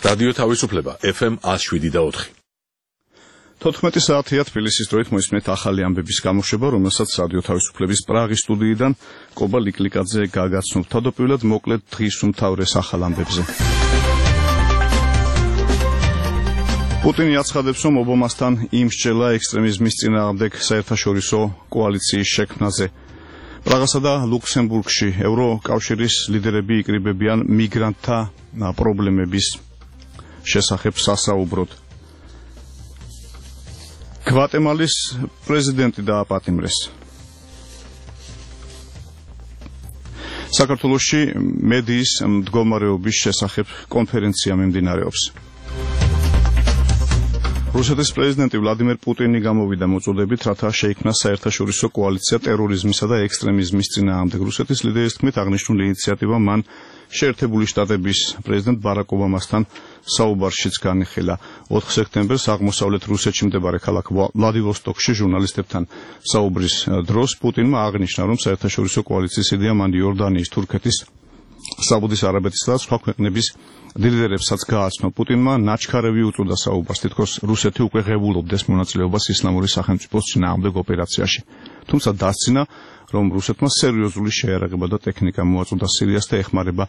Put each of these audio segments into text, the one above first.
რადიო თავისუფლება FM 107.4. 14 საათია თბილისის დროით მოისმენთ ახალი ამბების გამოშვება, რომელსაც რადიო თავისუფლების პრაღის სტუდიიდან კობა ლიკლიკაძე გაგაცნობ. თავდაპირველად მოკლედ დღის უმთავრეს ახალ ამბებზე. პუტინი აცხადებს, რომ ობამასთან იმსჯელა ექსტრემიზმის წინააღმდეგ საერთაშორისო კოალიციის შექმნაზე. პრაღასა და ლუქსემბურგში ევროკავშირის ლიდერები იკრიბებიან მიგრანტთა პრობლემების შესახებ სასაუბროდ. გვატემალის პრეზიდენტი დააპატიმრეს. საქართველოში მედიის მდგომარეობის შესახებ კონფერენცია მიმდინარეობს. რუსეთის პრეზიდენტი ვლადიმერ პუტინი გამოვიდა მოწოდებით, რათა შეიქმნა საერთაშორისო კოალიცია ტერორიზმისა და ექსტრემიზმის წინააღმდეგ. რუსეთის ლიდერის თქმით, აღნიშნული ინიციატივა მან შეერთებული შტატების პრეზიდენტ ბარაკ ობამასთან საუბარშიც განიხილა. 4 სექტემბერს აღმოსავლეთ რუსეთში მდებარე ქალაქ ვლადივოსტოკში ჟურნალისტებთან საუბრის დროს პუტინმა აღნიშნა, რომ საერთაშორისო კოალიციის იდეა მან იორდანიის, თურქეთის, საუდის არაბეთისა და სხვა ქვეყნების ლიდერებსაც გააცნო. პუტინმა ნაჩქარევი უწოდა საუბარს, თითქოს რუსეთი უკვე ღებულობდეს მონაწილეობას ისლამური სახელმწიფოს წინააღმდეგ ოპერაციაში. თუმცა დასცინა, რომ რუსეთმა სერიოზული შეიარაღება და ტექნიკა მოაწოდა სირიას და ეხმარება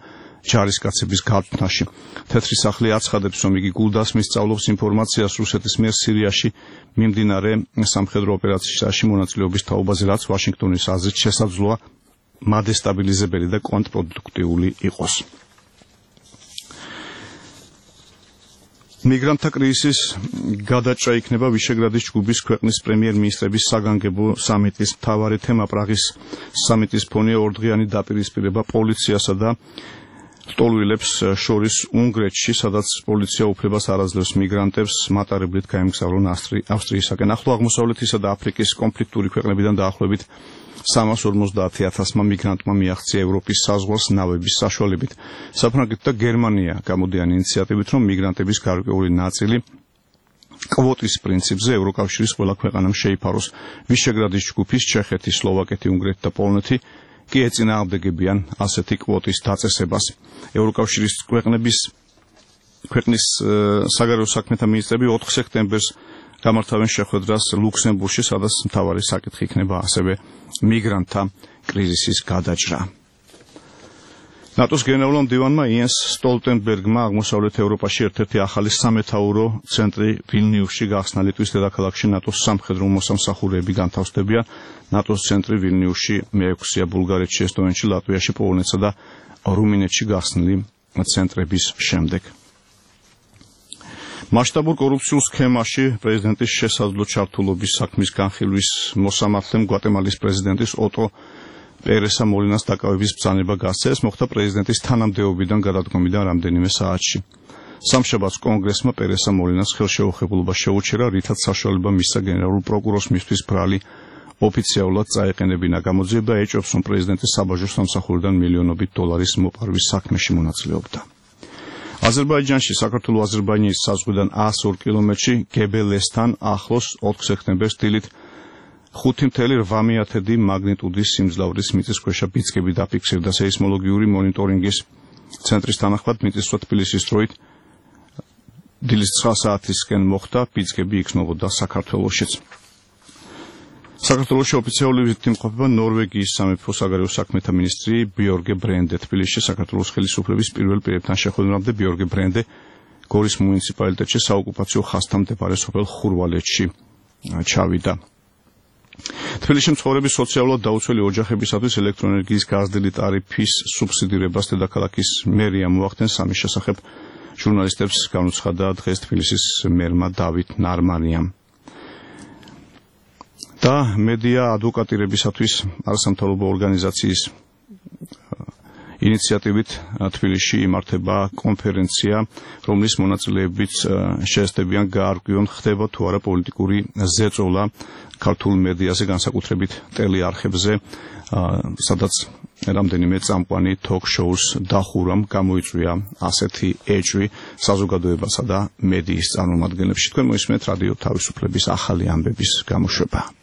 ჯარისკაცების გაწვნაში. თეთრი სახლი აცხადებს, რომ იგი გულდასმის სწავლობს ინფორმაციას რუსეთის მიერ სირიაში მიმდინარე სამხედრო ოპერაციაში მონაწილეობის თაობაზე, რაც ვაშინგტონის აზრით შესაძლოა მადესტაბილიზებელი და კონტრპროდუქტიული იყოს. მიგრანტთა კრიზისის გადაჭრა იქნება ვიშეგრადის ჯგუფის ქვეყნის პრემიერ-მინისტრების საგანგებო სამიტის მთავარი თემა. პრაღის სამიტის ფონია ორდღიანი დაპირისპირება პოლიციასა და ლტოლვილებს შორის უნგრეთში, სადაც პოლიცია უფლებას არ აძლევს მიგრანტებს მატარებლით გაემგზავრონ ავსტრიისაკენ. ახლო აღმოსავლეთისა და აფრიკის კონფლიქტური ქვეყნებიდან დაახლოებით 350,000 მიგრანტმა მიაღწია ევროპის საზღვარს ნავების საშუალებით. საფრანგეთი და გერმანია გამოდიან ინიციატივით, რომ მიგრანტების გარკვეული ნაწილი კვოტის პრინციპზე ევროკავშირის ყველა ქვეყანამ შეიფაროს. ვიშეგრადის ჯგუფის ჩეხეთი, სლოვაკეთი, უნგრეთი და პოლონეთი კი ეწინააღმდეგებიან ასეთი კვოტის დაწესებას. ევროკავშირის ქვეყნის საგარეო საქმეთა მინისტრები 4 სექტემბერს გამართავენ შეხვედრას ლუქსემბურგში, სადაც მთავარი საკითხი იქნება ასევე მიგრანტთა კრიზისის გადაჭრა. ნატოს გენერალურ მდივანმა იენს სტოლტენბერგმა აღმოსავლეთ ევროპაში ერთ-ერთი ახალი სამეთაურო ცენტრი ვილნიუსში გახსნა. ლიტვის დედაქალაქში ნატოს სამხედრო მოსამსახურეები განთავსდებიან. ნატოს ცენტრი ვილნიუსში მე-6-ია ბულგარეთში, ესტონეთში, ლატვიაში, პოლონეთსა და რუმინეთში გახსნილი ცენტრების შემდეგ. მასშტაბურ კორუფციულ სქემაში პრეზიდენტის შესაძლო ჩართულობის საქმის განხილვის მოსამართლემ გვატემალის პრეზიდენტის ოტო პერესა მოლინას დაკავების ბრძანება გასცა. ეს მოხდა პრეზიდენტის თანამდებობიდან გადადგომიდან რამდენიმე საათში. სამშაბათს კონგრესმა პერესა მოლინას ხელშეუხებლობა შეუჩერა, რითაც საშუალება მისცა გენერალურ პროკურორს მისთვის ბრალი ოფიციალურად წაეყენებინა. გამოძიება ეჭვობს, რომ პრეზიდენტის საბაჟო სამსახურიდან მილიონობით დოლარის მოპარვის საქმეში მონაწილეობდა. აზერბაიჯანში, საქართველო-აზერბაიჯანის საზღვიდან 102 კილომეტრში გებელესთან ახლოს 4 სექტემბერს დილით 5.8 მაგნიტუდის სიმძლავრის მიწისქვეშა ბიძგები დაფიქსირდა. სეისმოლოგიური მონიტორინგის ცენტრის თანახმად მიწისძვრა თბილისის დროით დილის 9 საათისკენ მოხდა, ბიძგები იქმნებოდა საქართველოშიც. საქართველოში ოფიციალური ვიზიტით იმყოფება ნორვეგიის სამეფო საგარეო საქმეთა მინისტრი ბიორგე ბრენდე. თბილისში საქართველოს ხელისუფლების პირველ პირებთან შეხვედრამდე ბიორგე ბრენდე გორის მუნიციპალიტეტში საოკუპაციო ხაზთან მდებარე სოფელ ხურვალეთში ჩავიდა. თბილისში მცხოვრები სოციალურად დაუცველი ოჯახებისათვის ელექტროენერგიის გაზრდილი ტარიფის სუბსიდირებას დედაქალაქის მერია მოახდენს. ამის შესახებ ჟურნალისტებს განუცხადა დღეს თბილისის მერმა დავით ნარმანიამ. და მედია ადვოკატირებისათვის არასამთავრობო ორგანიზაციის ინიციატივით თბილისში იმართება კონფერენცია, რომლის მონაწილეებიც შეესწებიან გაარკვიონ, ხდება თუ არა პოლიტიკური ზეწოლა ქართულ მედიაზე, განსაკუთრებით ტელეარხებზე, სადაც რამდენიმე წამყვანი თოქ-შოუს დახურვამ გამოიწვია ასეთი ეჭვი საზოგადოებასა და მედიის წარმომადგენლებში. თქვენ მოისმენთ რადიო თავისუფლების ახალი ამბების გამოშვება.